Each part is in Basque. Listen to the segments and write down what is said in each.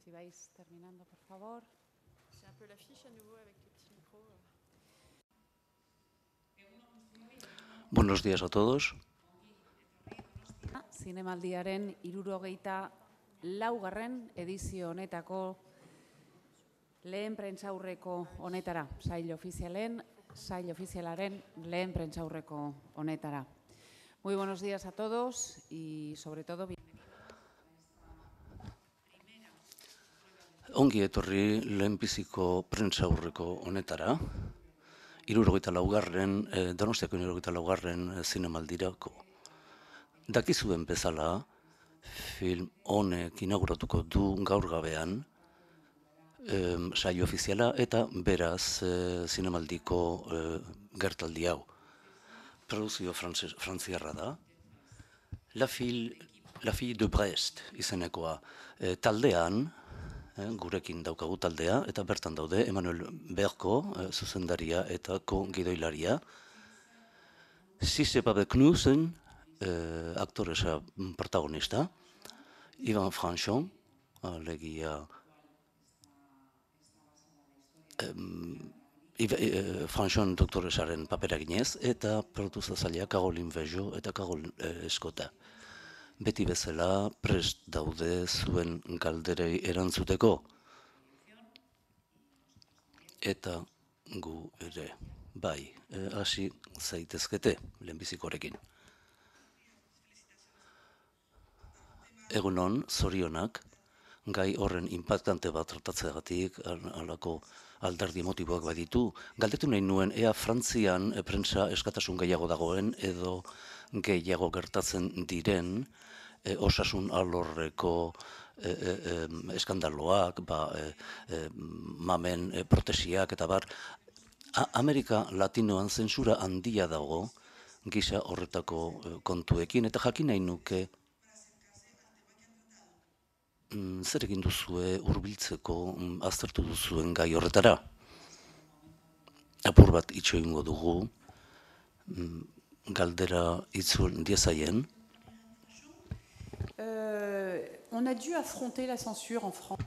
Si vais terminando, por favor. J'ai un peu l'affiche à nouveau avec les petits micros. Buenos días a todos. Zinemaldiaren 74. edizio honetako lehen prentsaurreko honetara, sail ofizialaren lehen prentsaurreko honetara. Muy buenos días a todos y sobre todo Ongi etorri lehenbiziko prentsaurreko honetara, 74. Donostiako 74. zinemaldirako. Dakizuen bezala, film honek inauguratuko du gaur gabean saio ofiziala eta beraz zinemaldiko gertaldi hau. Produzio frantziarra da. La Fille de Brest izenekoa. Taldean, gurekin daukagu taldea, eta bertan daude Emmanuel Berko, zuzendaria eta gidoilaria. Sissepabe Knudsen, aktoresa protagonista. Ivan Franchon, alegia Franchon doktoresaren papera ginez, eta produzatzailea Caroline Vejo eta Carole Escota. Beti bezala prest daude zuen galderei erantzuteko. Eta gu ere, bai, hasi zaitezkete lehenbizikorekin. Egunon, zorionak, gai horren inpaktante bat tratatzeagatik, halako alderdi emotiboak baditu, galdetu nahi nuen ea Frantzian prentsa eskatasun gehiago dagoen edo gehiago gertatzen diren osasun alorreko eskandaloak, mamen protesiak eta bar. Amerika Latinoan zentsura handia dago gisa horretako kontuekin, eta jakin nahi nuke zer egin duzue hurbiltzeko aztertu duzuen gai horretara. Apur bat itxo egingo dugu, galdera itzul diezaien. On a dû affronter la censure en France.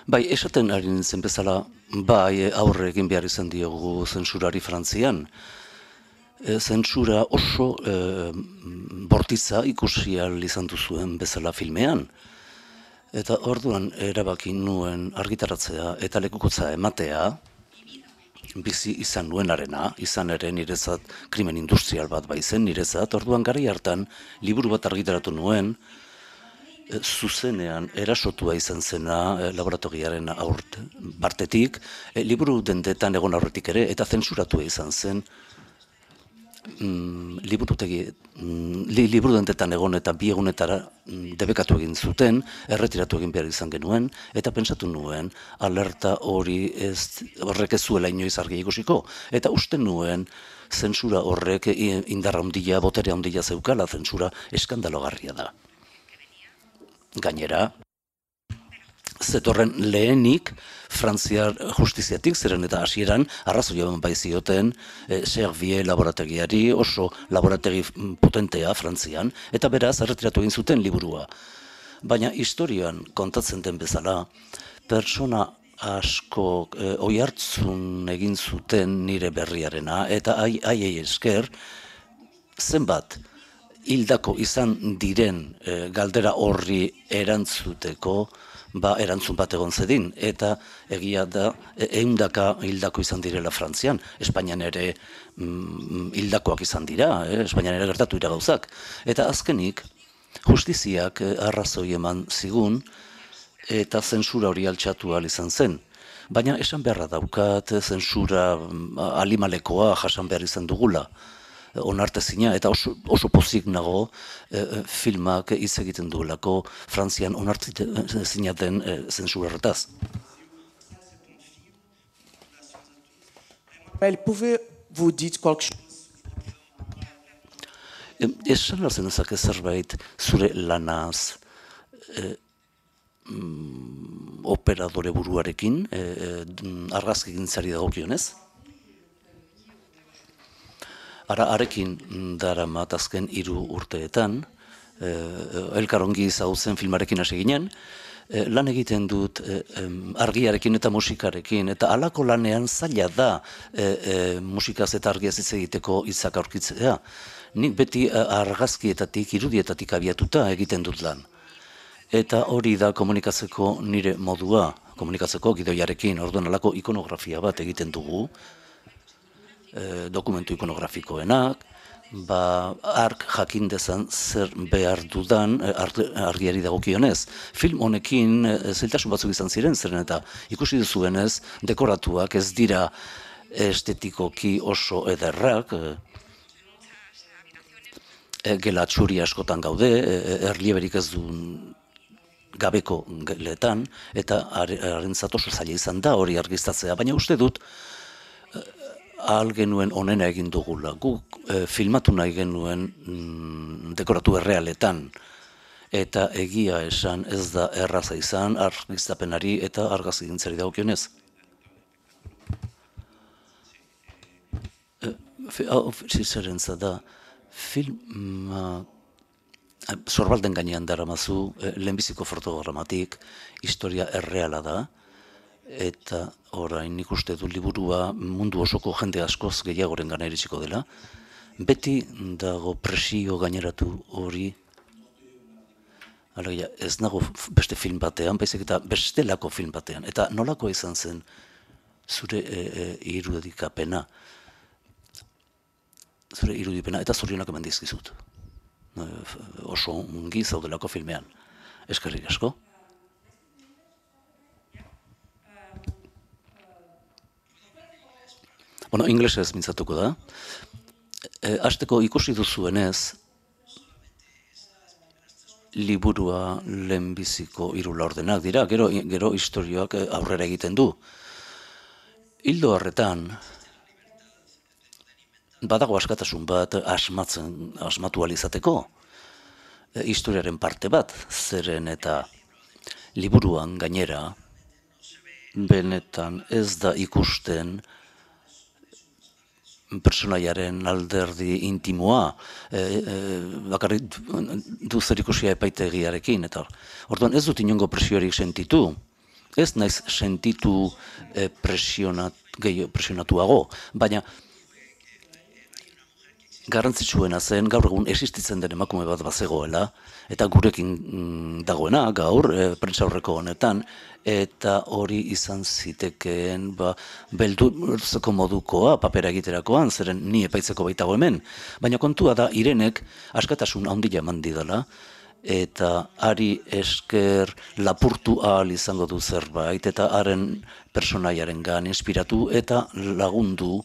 Bai, esaten ari nintzen bezala, bai aurre egin behar izan diogu zentsurari Frantzian. Zentsura oso bortitza ikusi ahal izan duzuen bezala filmean. Eta orduan erabaki nuen argitaratzea eta lekukotza ematea, bizi izan nuenarena, izan ere niretzat krimen industrial bat baizen niretzat, orduan garai hartan liburu bat argitaratu nuen, zuzenean erasotua izan zena laboratoriaren partetik, liburu dendetan egon aurretik ere, eta zentsuratua izan zen, liburu dendetan egon eta 2 egunetara debekatu egin zuten, erretiratu egin behar izan genuen, eta pentsatu nuen alerta horrek ez zuela inoiz argi ikusiko, eta uste nuen zentsura horrek indarra handia, botere handia zeukala, zentsura eskandalogarria da. Gainera, zetorren lehenik Frantziar justiziatik, zeren eta hasieran arrazoia bai zioten Servier laborategiari, oso laborategi potentea Frantzian, eta beraz erretiratu egin zuten liburua. Baina historian kontatzen den bezala, pertsona asko oihartzun egin zuten nire berriarena, eta haiei esker zenbat hildako izan diren galdera horri erantzuteko, erantzun bat egon zedin, eta egia da 100 hildako izan direla Frantzian. Espainian ere hildakoak izan dira, Espainian ere gertatu dira gauzak. Eta azkenik, justiziak arrazoi eman zigun, eta zentsura hori altxatu ahal izan zen. Baina esan beharra daukat, zentsura alimalekoa jasan behar izan dugula. Onartezina, eta oso pozik nago filmak hitz egiten duelako Frantzian onartezina den zentsura horretaz. Pouvez-vous dire quelque chose? Esan alzen ezak zerbait zure lanaz, operadore buruarekin, argazkigintzari dagokionez. Arekin daramat azken 3 urteetan, elkarongi ezagutzen filmarekin hasi ginen, lan egiten dut argiarekin eta musikarekin, eta halako lanean zaila da musikaz eta argiaz hitz egiteko hitzak aurkitzea. Nik beti argazkietatik, irudietatik abiatuta egiten dut lan. Eta hori da komunikatzeko nire modua, komunikatzeko gidoiarekin, orduan halako ikonografia bat egiten dugu, dokumentu ikonografikoenak, ark jakin dezan zer behar dudan argiari dagokionez. Film honekin zailtasun batzuk izan ziren, zeren eta ikusi duzuenez, dekoratuak ez dira estetikoki oso ederrak, gela txuri askotan gaude, erlieberik ez du gabeko geletan, eta harentzat oso zaila izan da hori argiztatzea, baina uste dut, ahal genuen onena egin dugula. Guk filmatu nahi genuen dekoratu errealetan. Eta egia esan ez da erraza izan argiztapenari eta argazkigintzari dagokionez. Zerentza da, filma sorbalden gainean daramazu, lehenbiziko fotogramatik, historia erreala da, eta orain nik uste du liburua mundu osoko jende askoz gehiagoren gana iritsiko dela. Beti dago presio gaineratu hori, alegia, ez nago beste film batean, baizik eta bestelako film batean. Eta nolako izan zen zure irudikapena, eta zorionak eman dizkizut. Oso ongi zaudelako filmean. Eskerrik asko. Bueno, inglesez mintzatuko da. Hasteko ikusi duzuenez, liburua lehenbiziko 3 laurdenak dira, gero istorioak aurrera egiten du. Ildo horretan, badago askatasun bat asmatu alizateko, historiaren parte bat, zeren eta liburuan gainera, benetan ez da ikusten personaiaren alderdi intimoa, bakarrik du zer ikusia epaitegiarekin, eta orduan ez dut inongo presiorik sentitu, ez naiz sentitu presionatuago, baina garrantzitsuena zen gaur egun existitzen den emakume bat bazegoela, eta gurekin dagoena gaur, prentsaurreko honetan, eta hori izan zitekeen beldurtzeko modukoa papera egiterakoan, zeren ni epaitzeko baitago hemen. Baina kontua da, Irenek askatasun handia eman didala, eta ari esker lapurtu ahal izango du zerbait, eta haren personaiarengan inspiratu eta lagundu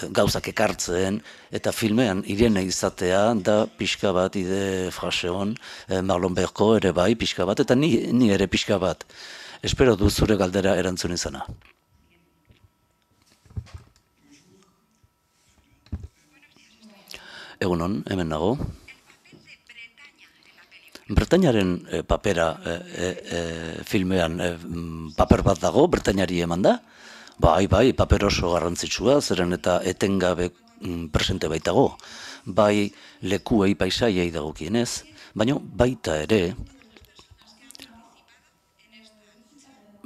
gauzak ekartzen, eta filmean Irene izatea da pixka bat ide fraseon, Marlon Berko ere bai pixka bat, eta ni ere pixka bat. Espero du zure galdera erantzun izana. Egunon, hemen nago. Bretainaren papera filmean paper bat dago, Bretainari eman da? Bai, paper oso garrantzitsua, zeren eta etengabe presente baitago. Bai lekuei paisaiei dagokienez, baina baita ere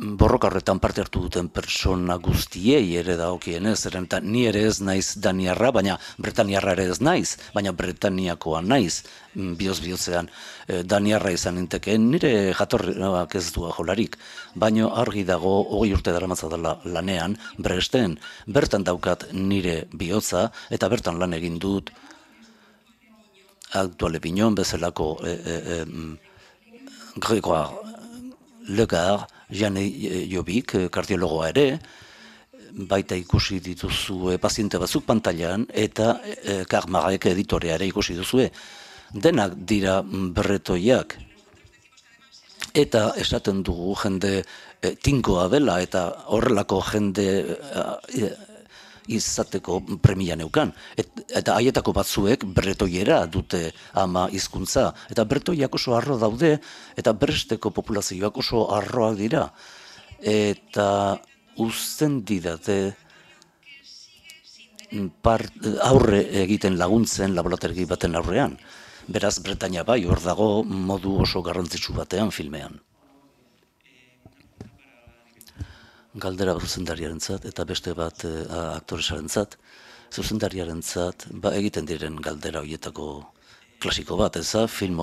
borroka horretan parte hartu duten persona guztiei ere dagokienez, zeren eta ni ere ez naiz daniarra, baina bretaniarra ere ez naiz, baina bretaniakoa naiz, bihotzean daniarra izan nintekeen, nire jatorriak ez du jolarik, baina argi dago 20 urte daramatza dela lanean, Bresten, bertan daukat nire bihotza, eta bertan lan egin dut Actuale Pignon bezalako Grégoire Legare, Jane Jobik, kardiologoa ere, baita ikusi dituzue paziente batzuk pantailan, eta Karmarek editorea ere ikusi duzue. Denak dira berretoiak, eta esaten dugu jende tinkoa dela, eta horrelako jende izateko premia neukan. Eta haietako batzuek bretoiera dute ama hizkuntza. Eta bretoiak oso harro daude, eta bresteko populazioak oso harroak dira. Eta uzten didate aurre egiten laguntzen laborategi baten aurrean. Beraz, Bretaña bai, hor dago modu oso garrantzitsu batean filmean. Galdera zuzendariarentzat eta beste bat aktoresarentzat. Zuzendariarentzat egiten diren galdera horietako klasiko bat, eza film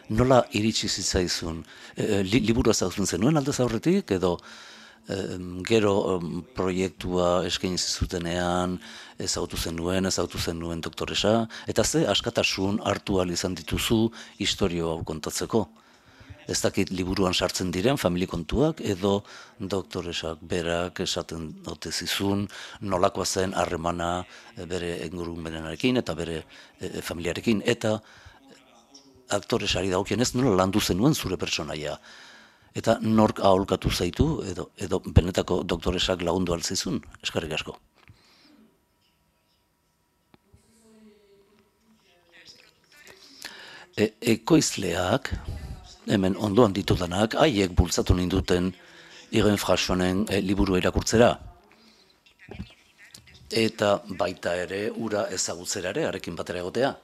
nola iritsi zitzaizun, liburua ezagutzen zenuen aldez aurretik, edo gero proiektua eskaini zutenean ezagutu zenuen doktoresa, eta ze askatasun hartu ahal izan dituzu historio hau kontatzeko. Ez dakit liburuan sartzen diren familikontuak edo doktoresak berak esaten ote zizun nolakoa zen harremana bere ingurumenarekin eta bere familiarekin, eta aktoresari dagokienez nola landu zenuen zure pertsonaia. Eta nork aholkatu zaitu edo benetako doktoresak lagundu altzizun. Eskerrik asko. Ekoizleak, hemen ondoan ditudanak, haiek bultzatu ninduten Irene Frassonen liburua irakurtzera. Eta baita ere, ura ezagutzera ere, harekin batera egotea.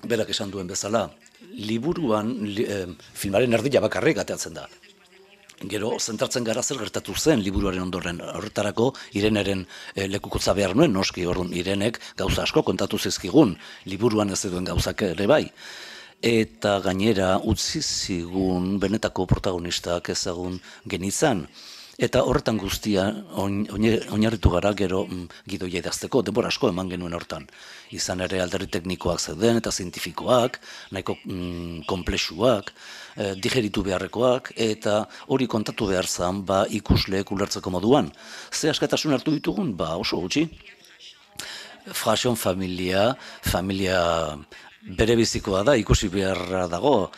Berak esan duen bezala, liburuan filmaren erdila bakarrik ateatzen da. Gero, zentratzen gara zer gertatu zen liburuaren ondoren. Horretarako, Ireneren lekukotza behar nuen, noski orduan Irenek gauza asko kontatu zizkigun, liburuan ez duen gauzak ere bai. Eta gainera utzi zigun benetako protagonistak ezagun genitzan. Eta horretan guztia oinarritu gara gero gidoia idazteko, denbora asko eman genuen hortan. Izan ere alderdi teknikoak zeuden eta zientifikoak, nahiko konplexuak, digeritu beharrekoak, eta hori kontatu behar zen ikusleek ulertzeko moduan. Ze askatasun hartu ditugun? Oso gutxi. Frasson familia bere bizikoa da, ikusi beharra dago,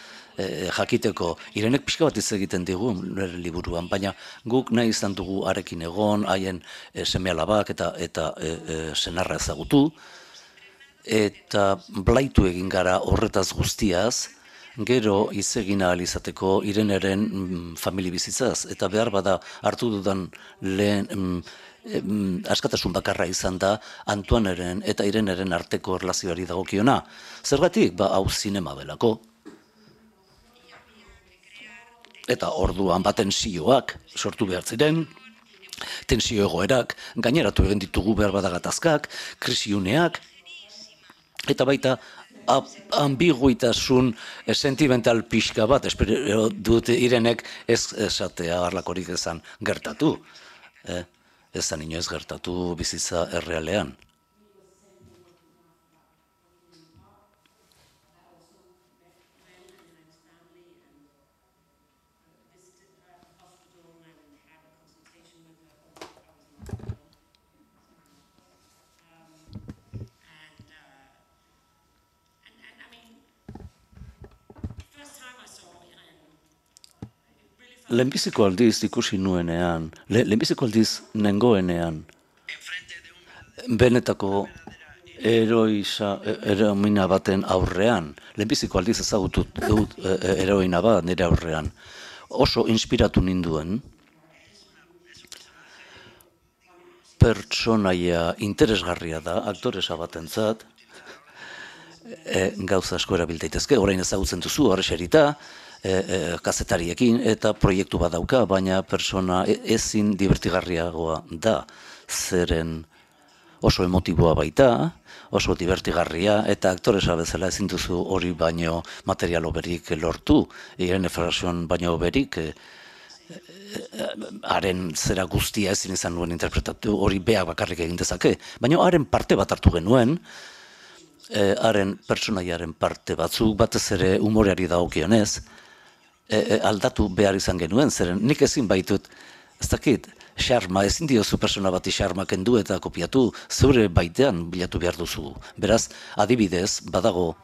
jakiteko. Irenek pixka bat hitz egiten digu nire liburuan, baina guk nahi izan dugu harekin egon, haien seme-alabak eta senarra ezagutu, eta blaitu egin gara horretaz guztiaz, gero hitz egin ahal izateko Ireneren famili bizitzaz, eta behar bada hartu dudan lehen askatasun bakarra izan da Antoineren eta Ireneren arteko erlazioari dagokiona. Zergatik? Hau zinema delako. Eta orduan tensioak sortu behar ziren, tensio egoerak, gaineratu egin ditugu behar bada gatazkak, krisiuneak, eta baita ambiguitasun sentimental pixka bat, espero dut Irenek ez esatea harlakorik ezan gertatu. Ezan inoiz gertatu bizitza errealean. Lehenbiziko aldiz ikusi nuenean, lehenbiziko aldiz nengoenean, benetako heroina baten aurrean, lehenbiziko aldiz ezagutu dut heroina bat nire aurrean, oso inspiratu ninduen, pertsonaia interesgarria da, aktoresa batentzat, gauza asko erabiltaitezke, orain ezagutzen duzu, horrexerita, kazetariekin eta proiektu bat dauka, baina persona ezin divertigarriagoa da, zeren oso emotiboa baita, oso divertigarria, eta aktoresa bezala ezin duzu hori baino material oberik lortu, Irene Frasson baino oberik, haren zera guztia ezin izan nuen interpretatu, hori beak bakarrik egin dezake, baina haren parte bat hartu genuen, haren pertsonaiaren parte batzuk, batez ere umoreari dagokionez, aldatu behar izan genuen, zeren nik ezin baitut, ez dakit, xarma, ezin diozu persona bati xarma kendu eta kopiatu, zeure baitean bilatu behar duzu. Beraz, adibidez, badago,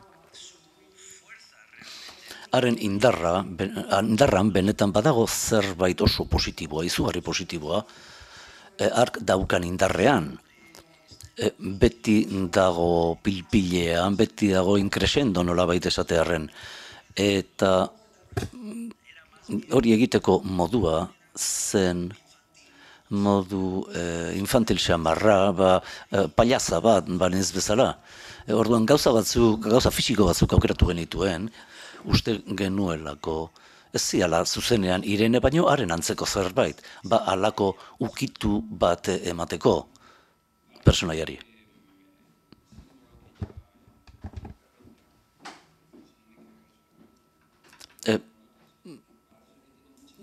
haren indarran benetan badago zerbait oso positiboa, izugarri positiboa, ark daukan indarrean, beti dago pilpilean, beti dago inkresendo nolabait esatearren, eta hori egiteko modua zen modu infantil xamarra, pailaza bat, banez bezala. Orduan gauza fisiko batzuk aukeratu genituen, uste genuelako, ez ziala zuzenean Irene baino haren antzeko zerbait, halako ukitu bat emateko personaiari.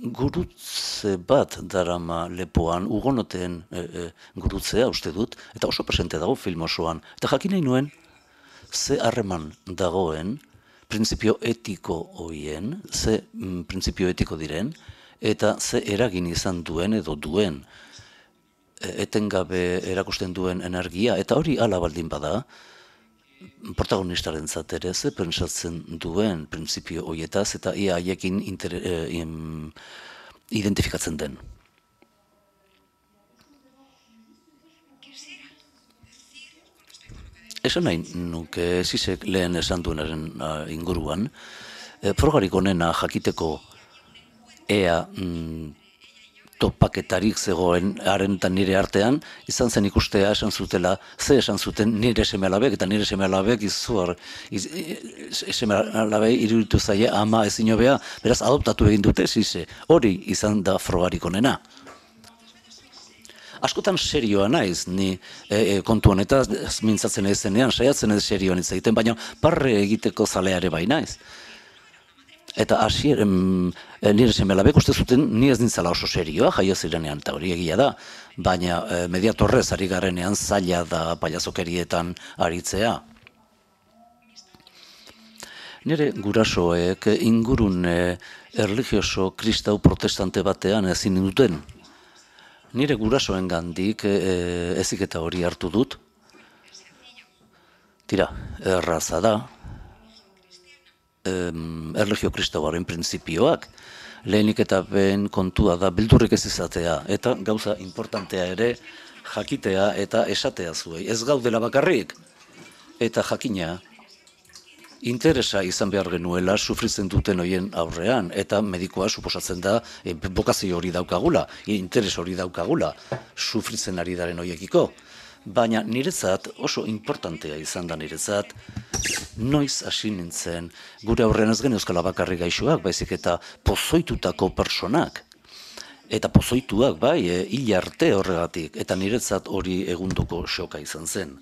Gurutze bat darama lepoan, ugonoteen gurutzea uste dut, eta oso presente dago film osoan. Eta jakin nahi nuen, ze harreman dagoen, printzipio etiko horien, ze printzipio etiko diren, eta ze eragin izan duen edo duen, etengabe erakusten duen energia, eta hori ala baldin bada, protagonistaren ere ze pentsatzen duen printzipio horietaz, eta ia haiekin identifikatzen den. Esan nahi nuke Zizek lehen esan duenaren inguruan, frogarik onena jakiteko ea topaketarik zegoen haren eta nire artean, izan zen ikustea esan zutela, ze esan zuten nire seme-alabek, eta nire seme-alabek seme-alabei iruditu zaie ama ezin hobea, beraz adoptatu egin dute Zize, hori izan da frogarik onena. Askotan serioa naiz, ni kontu honetaz mintzatzen ez zenean, saiatzen ez serioan hitz egiten, baina parre egiteko zaleare bai naiz. Eta nire seme-alabek uste zuten ni ez nintzala oso serioa, jaio zirenean, eta hori egia da, baina mediatorrez ari garenean zaila da pailazokerietan aritzea. Nire gurasoek ingurune erlijioso kristau protestante batean ezin duten. Nire gurasoen gandik eziketa hori hartu dut. Tira, erraza da. Erlijio kristauaren printzipioak, lehenik eta ben kontua da beldurrik ez izatea, eta gauza importantea ere jakitea eta esatea zuei. Ez gaudela bakarrik, eta jakina interesa izan behar genuela sufritzen duten horien aurrean, eta medikoa suposatzen da bokazio hori daukagula, interes hori daukagula, sufritzen ari daren horiekiko. Baina niretzat, oso importantea izan da niretzat, noiz hasi nintzen, gure aurrean ez geneuzkala bakarrik gaixoak, baizik eta pozoitutako personak. Eta pozoituak bai, hil arte horregatik, eta niretzat hori egundoko xoka izan zen.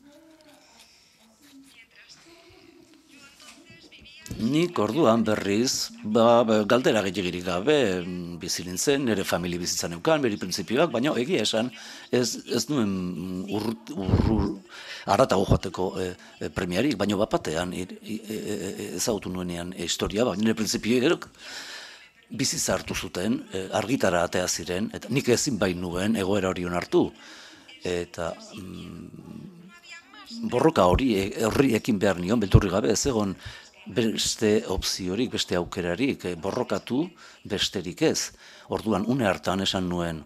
Nik orduan berriz, galdera gehiagirik gabe bizi nintzen, nire familia bizitzan neukan, bere printzipioak, baina egia esan ez nuen haratago joateko premiarik, baina bapatean ezagutu nuenean historia, baina nire printzipioak bizitza hartu zuten, argitara atea ziren, eta nik ezin bai nuen egoera hori onartu, eta borroka horri ekin behar nion, beldurri gabe, ez egon beste opziorik, beste aukerarik, borrokatu besterik ez. Orduan, une hartan esan nuen,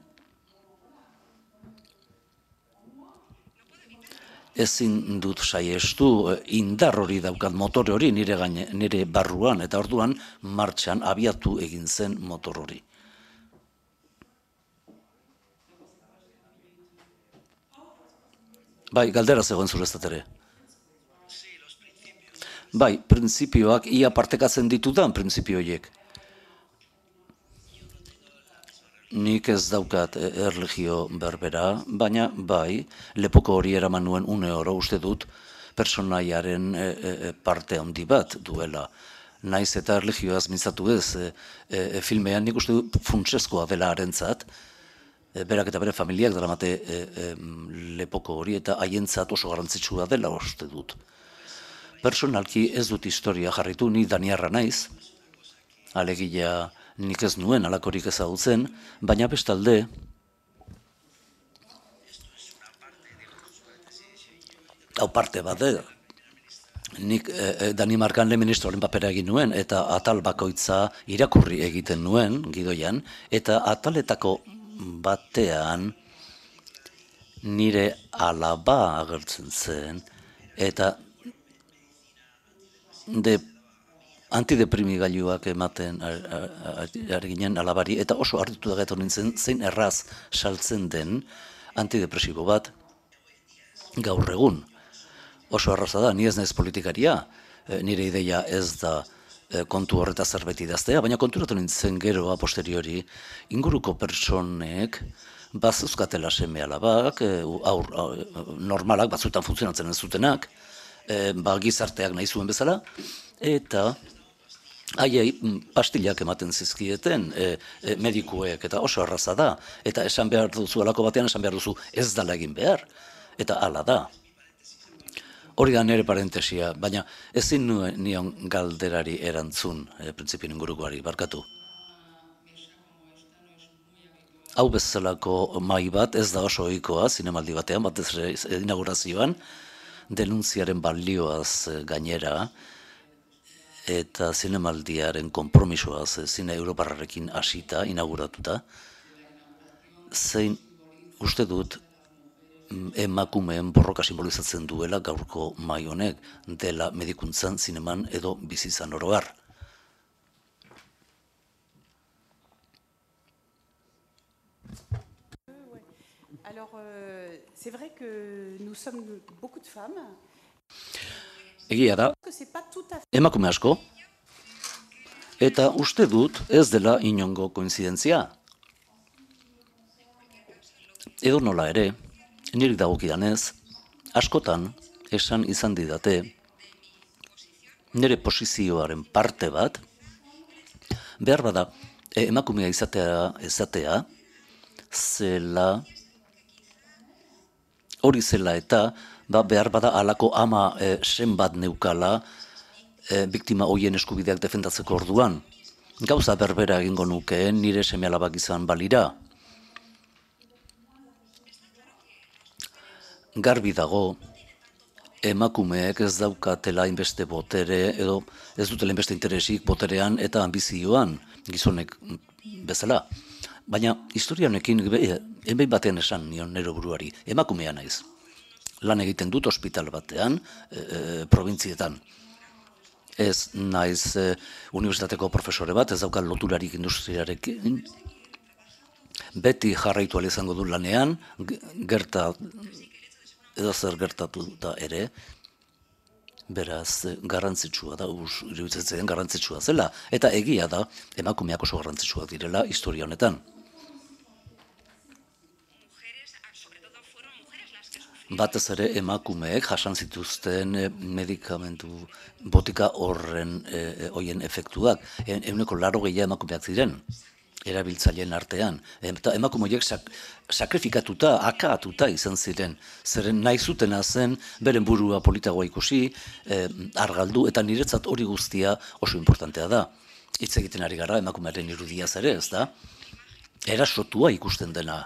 ezin dut saiestu, indar hori daukat, motor hori nire barruan, eta orduan martxan abiatu egin zen motor hori. Bai, galdera zegoen zureztat ere. Bai, printzipioak ia partekatzen ditudan printzipio horiek. Nik ez daukat erlijio berbera, baina bai, lepoko hori eraman nuen une oro uste dut personaiaren parte handi bat duela. Naiz eta erlijioaz mintzatu ez, filmean nik uste dut funtsezkoa dela harentzat, berak eta bere familiak daramate lepoko hori eta haientzat oso garrantzitsua dela uste dut. Personalki ez dut historia jarritu, ni daniarra naiz, alegia nik ez nuen alakorik ezagutzen, baina bestalde, hau parte bat nik Danimarkan lehen ministroaren papera egin nuen, eta atal bakoitza irakurri egiten nuen, gidoian, eta ataletako batean nire alaba agertzen zen, eta antideprimigailuak ematen ari ginen alabari, eta oso hartutu da nintzen zein erraz saltzen den antidepresibo bat gaur egun. Oso erraza da, ni ez naiz politikaria, nire ideia ez da kontu horreta zerbait idaztea, baina konturatu nintzen gero a posteriori inguruko pertsonek bazuzkatela seme alabak, normalak, batzuetan funtzionatzen ez zutenak, gizarteak nahi zuen bezala, eta haiei pastillak ematen zizkieten medikuek, eta oso erraza da, eta esan behar duzu alako batean, esan behar duzu ez dala egin behar, eta hala da. Hori da nire parentesia, baina ezin nion galderari erantzun, printzipien ingurukoari, barkatu. Hau bezalako mai bat ez da oso ohikoa zinemaldi batean, batez ere inaugurazioan, denuntziaren balioaz gainera, eta zinemaldiaren konpromisoaz zine europarrarekin hasita, inauguratuta, zein uste dut emakumeen borroka simbolizatzen duela gaurko mai honek, dela medikuntzan, zineman edo bizitzan oro har. Alors, c'est vrai que nous sommes beaucoup de femmes. Egia da, Que c'est pas tout à fait. emakume asko, eta uste dut ez dela inongo koinzidentzia. Edo nola ere, niri dagokidanez, askotan esan izan didate nire posizioaren parte bat, behar bada emakumea izatea zela, hori zela eta behar bada halako ama sen bat neukala biktima hoien eskubideak defendatzeko orduan. Gauza berbera egingo nukeen nire seme-alabak izan balira. Garbi dago, emakumeek ez daukatela inbeste botere, edo ez dutela inbeste interesik boterean eta ambizioan gizonek bezala. Baina historia honekin, enbein batean esan nion nero buruari, emakumea naiz. Lan egiten dut ospital batean, provintzietan. Ez naiz unibertsitateko profesore bat, ez daukat loturarik industriarekin. Beti jarraitu ahal izango du lanean, edo zer gertatu da ere, beraz garrantzitsua da, iruditzen garrantzitsua zela, eta egia da emakumeak oso garrantzitsuak direla historia honetan. Batez ere emakumeek jasan zituzten medikamentu botika horien efektuak. Ehuneko 80 emakumeak ziren, erabiltzaileen artean. Eta emakumeek sakrifikatuta, akatuta izan ziren. Zeren nahi zutena zen, beren burua politagoa ikusi, argaldu, eta niretzat hori guztia oso importantea da. Hitz egiten ari gara emakumearen irudiaz ere, ez da? Erasotua ikusten dena.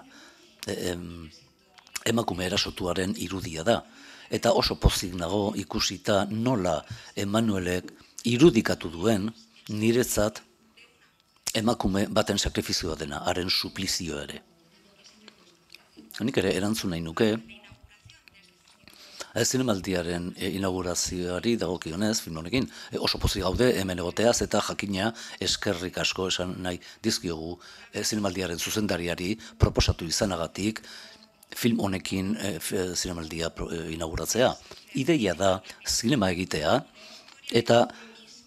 Emakume erasotuaren irudia da. Eta oso pozik nago ikusita nola Emanuelek irudikatu duen niretzat emakume baten sakrifizioa dena, haren suplizio ere. Nik ere erantzun nahi nuke, zinemaldiaren inaugurazioari dagokionez, film honekin, oso pozik gaude hemen egoteaz eta jakina eskerrik asko esan nahi dizkiogu zinemaldiaren zuzendariari proposatu izanagatik, film honekin zinemaldia inauguratzea. Ideia da zinema egitea eta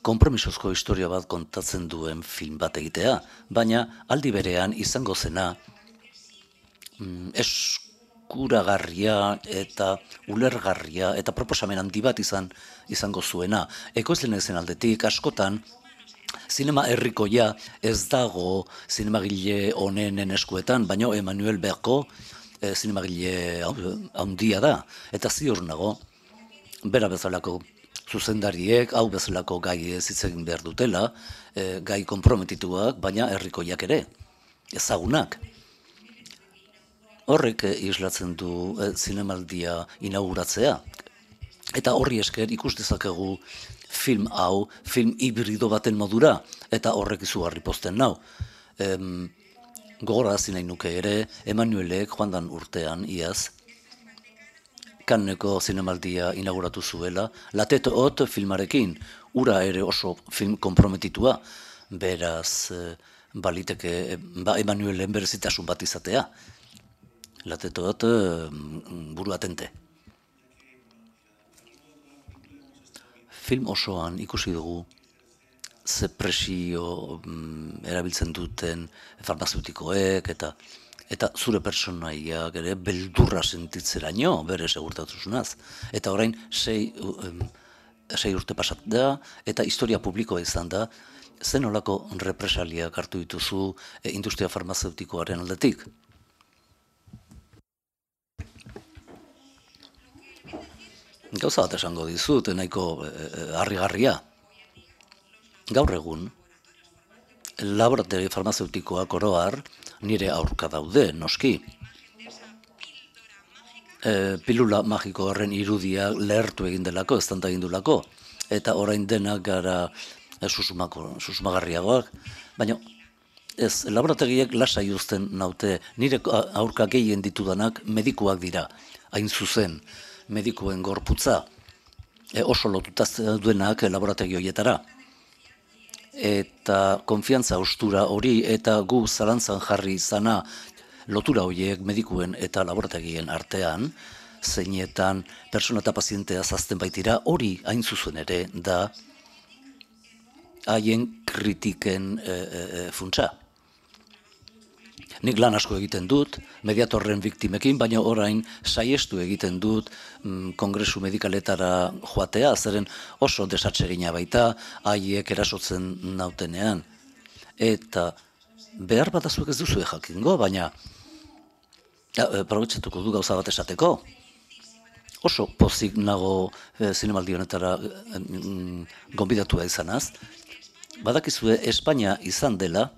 konpromisozko historia bat kontatzen duen film bat egitea, baina aldi berean izango zena eskuragarria eta ulergarria eta proposamen handi bat izango zuena. Ekoizlen ezen aldetik askotan zinema herrikoia ez dago zinemagile honenen eskuetan, baina Emanuel Berko zinemagile handia da, eta ziur nago, bera bezalako zuzendariek, hau bezalako gai ez hitz egin behar dutela, gai konprometituak, baina herrikoiak ere, ezagunak. Horrek islatzen du zinemaldia inauguratzea, eta horri esker ikus dezakegu film hau, film hibrido baten modura, eta horrek izugarri pozten nau. Gogorarazi nahi nuke ere, Emanuelek joan dan urtean, iaz, Kanneko zinemaldia inauguratu zuela, La Tête Haute filmarekin, ura ere oso film komprometitua, beraz baliteke Emmanuelen berezitasun bat izatea. La Tête Haute buru atente. Film osoan ikusi dugu ze presio erabiltzen duten farmazeutikoek eta zure personaiak ere beldurra sentitzeraino bere segurtasunaz. Eta orain 6 urte pasat da eta historia publikoa izan da, zen olako represaliak hartu dituzu industria farmazeutikoaren aldetik? Gauza bat esango dizut, nahiko harrigarria. Gaur egun, laborategi farmazeutikoak oro har nire aurka daude, noski. Pilula magiko horren irudia lehertu egin delako, eztanda egin dulako, eta orain denak gara susmagarriagoak, baina ez, laborategiek lasai uzten naute, nire aurka gehien ditudanak medikuak dira, hain zuzen, medikuen gorputza, oso lotuta duenak laborategi horietara. Eta konfiantza ostura hori eta gu zalantzan jarri izana lotura horiek medikuen eta laborategien artean, zeinetan persona eta pazientea zazten baitira, hori hain zuzen ere da haien kritiken funtsa. Nik lan asko egiten dut, mediatorren biktimekin, baina orain saiestu egiten dut kongresu medikaletara joatea, zeren oso desatsegina baita, haiek erasotzen nautenean. Eta behar bat azuek ez duzu jakingo, baina probetxatuko du gauza bat esateko. Oso pozik nago zinemaldi honetara gonbidatua izanaz. Badakizue Espainia izan dela,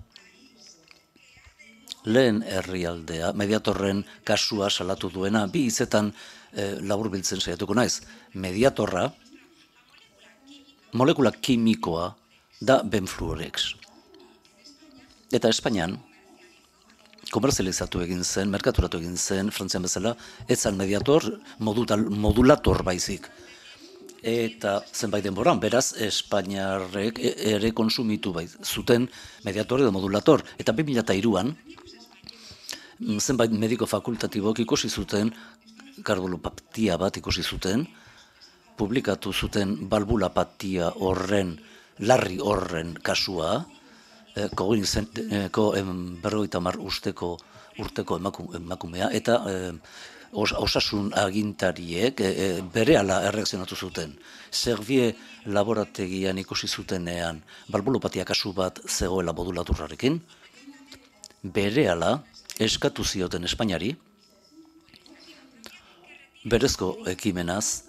lehen herrialdea, mediatorren kasua salatu duena, bi hitzetan laburbiltzen saiatuko naiz. Mediatorra, molekula kimikoa da benfluorex. Eta Espainian, komerzializatu egin zen, merkaturatu egin zen, Frantzian bezala, ez zen mediator, modulator baizik. Eta zenbait denboran, beraz, Espainiarrek ere konsumitu zuten mediator edo modulator. Eta 2003an, zenbait mediko fakultatibok ikusi zuten, kardiopatia bat ikusi zuten, publikatu zuten balbulapatia horren, larri horren kasua, koginizenteko 50 urteko emakumea, eta osasun agintariek berehala erreakzionatu zuten. Servier laborategian ikusi zutenean balbulopatia kasu bat zegoela modulaturrarekin, berehala eskatu zioten Espainiari, berezko ekimenaz,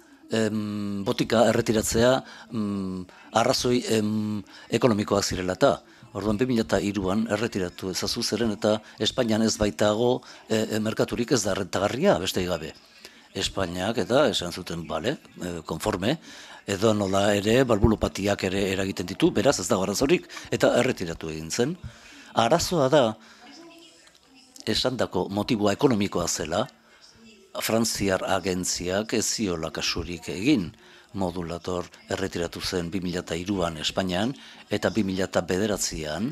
botika erretiratzea arrazoi ekonomikoak zirela eta. Orduan 2003an erretiratu ezazu zeren eta Espainian ez baitago merkaturik ez da rentagarria beste gabe. Espainiak eta esan zuten, bale, konforme, edo nola ere balbulopatiak ere eragiten ditu, beraz ez dago arazorik eta erretiratu egin zen. Arazoa da, esandako motibua ekonomikoa zela, Frantziar agentziak ez ziola kasurik egin. Modulator erretiratu zen 2003an Espainian, eta 2009an,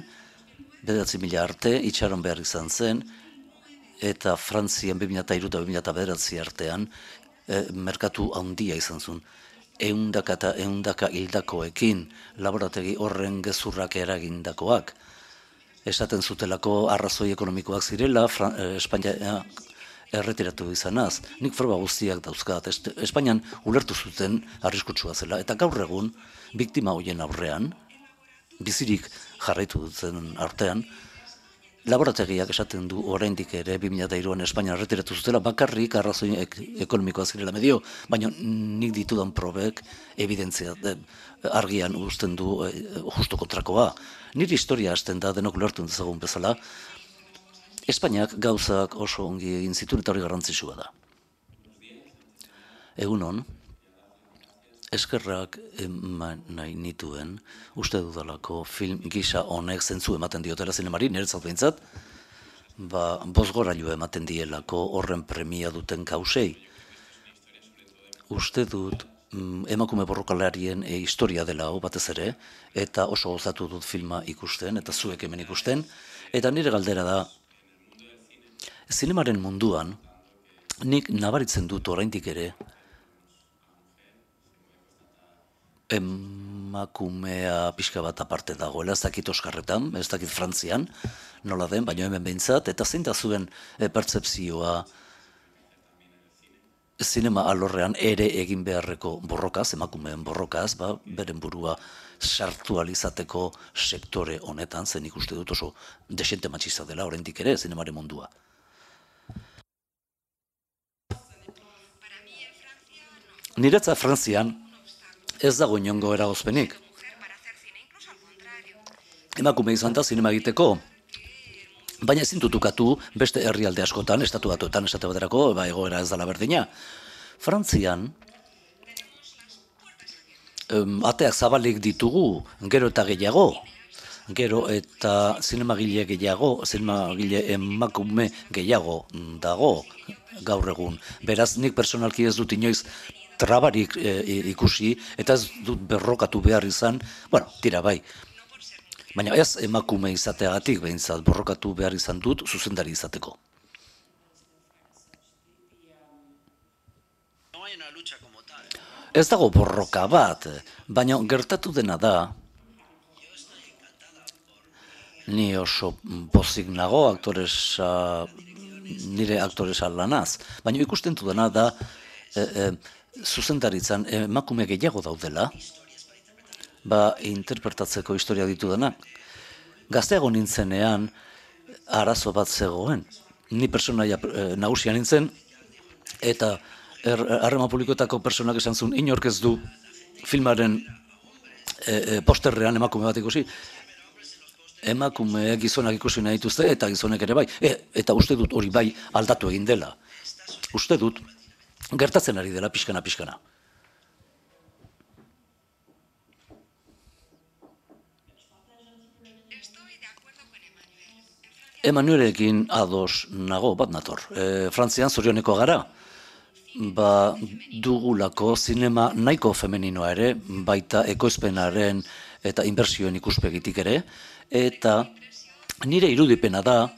9.000 arte, itxaron behar izan zen, eta Frantzian 2003 eta 2009 artean, merkatu handia izan zuen. Ehundaka eta ehundaka hildakoekin, laborategi horren gezurrak eragindakoak. Esaten zutelako arrazoi ekonomikoak zirela, Espainia erretiratu izanaz. Nik froga guztiak dauzkat. Espainian ulertu zuten arriskutsua zela. Eta gaur egun, biktima horien aurrean, bizirik jarraitu duten artean, laborategiak esaten du oraindik ere 2003an Espainian erretiratu zutela, bakarrik arrazoi ekonomikoa zirela medio, baina nik ditudan probek evidentzia argian uzten du justo kontrakoa. Nire historia hasten da denok ulertu dezagun bezala, Espainiak gauzak oso ongi egin zituen eta hori garrantzitsua da. Egunon, eskerrak eman nahi nituen, uste dudalako film gisa honek zentzu ematen diotela zinemari, niretzat behintzat, bozgorailu ematen dielako horren premia duten kausei. uste dut emakume borrokalarien historia dela hau batez ere, eta oso gozatu dut filma ikusten, eta zuek hemen ikusten, eta nire galdera da, zinemaren munduan, nik nabaritzen dut oraindik ere, emakumea pixka bat aparte dagoela, ez dakit Oskarretan, ez dakit Frantzian, nola den, baina hemen behintzat, eta zein da zuen pertzepzioa zinema alorrean ere egin beharreko borrokaz, emakumeen borrokaz, beren burua sartu alizateko sektore honetan, zen ikuste dut oso desente matxista dela, oraindik ere, zinemaren mundua. Niretzat Frantzian ez dago inongo eragozpenik. Emakume izan da zinema egiteko, baina ezin dut ukatu beste herrialde askotan, estatu batuetan esate baterako, egoera ez dela berdina. Frantzian, ateak zabalik ditugu, gero eta gehiago, gero eta zinemagile gehiago, zinemagile emakume gehiago dago gaur egun. Beraz, nik personalki ez dut inoiz trabarik ikusi, eta ez dut berrokatu behar izan, bueno, tira bai, baina ez emakume izateagatik behintzat borrokatu behar izan dut zuzendari izateko. Ez dago borroka bat, baina gertatu dena da, ni oso pozik nago nire aktoresa lanaz, baina ikusten dena da zuzendaritzan emakume gehiago daudela, interpretatzeko historia ditu dena. Gazteago nintzenean arazo bat zegoen. Ni personaia nagusia nintzen, eta harreman publikoetako personak esan zuen, inork ez du filmaren posterrean emakume bat ikusi. Emakume gizonak ikusi nahi dituzte, eta gizonek ere bai. Eta uste dut hori bai aldatu egin dela. Uste dut gertatzen ari dela pixkana. Emanuelekin ados nago bat nator. Frantzian zorioneko gara, dugulako zinema nahiko femeninoa ere, baita ekoizpenaren eta inbertsioen ikuspegitik ere, eta nire irudipena da,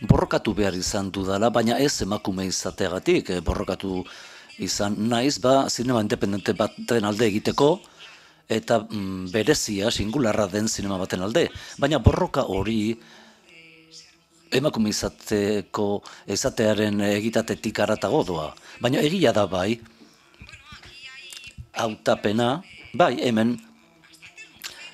borrokatu behar izan dudala, baina ez emakume izateagatik, borrokatu izan naiz, zinema independente baten alde egiteko, eta berezia, singularra den zinema baten alde. Baina borroka hori, emakume izatearen egitatetik haratago doa. Baina egia da bai, hautapena, bai hemen,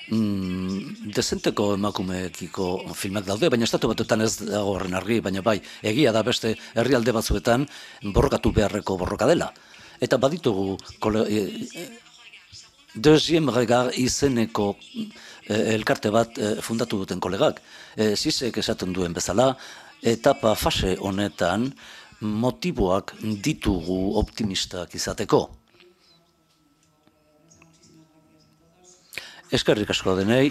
dezenteko emakumeekiko filmak daude, baina estatu batuetan ez dago horren argi, baina bai, egia da beste herrialde batzuetan borrokatu beharreko borroka dela. Eta baditugu Deuxième Regard izeneko elkarte bat fundatu duten kolegak. Zizek esaten duen bezala, etapa fase honetan motiboak ditugu optimistak izateko. Eskerrik asko denei.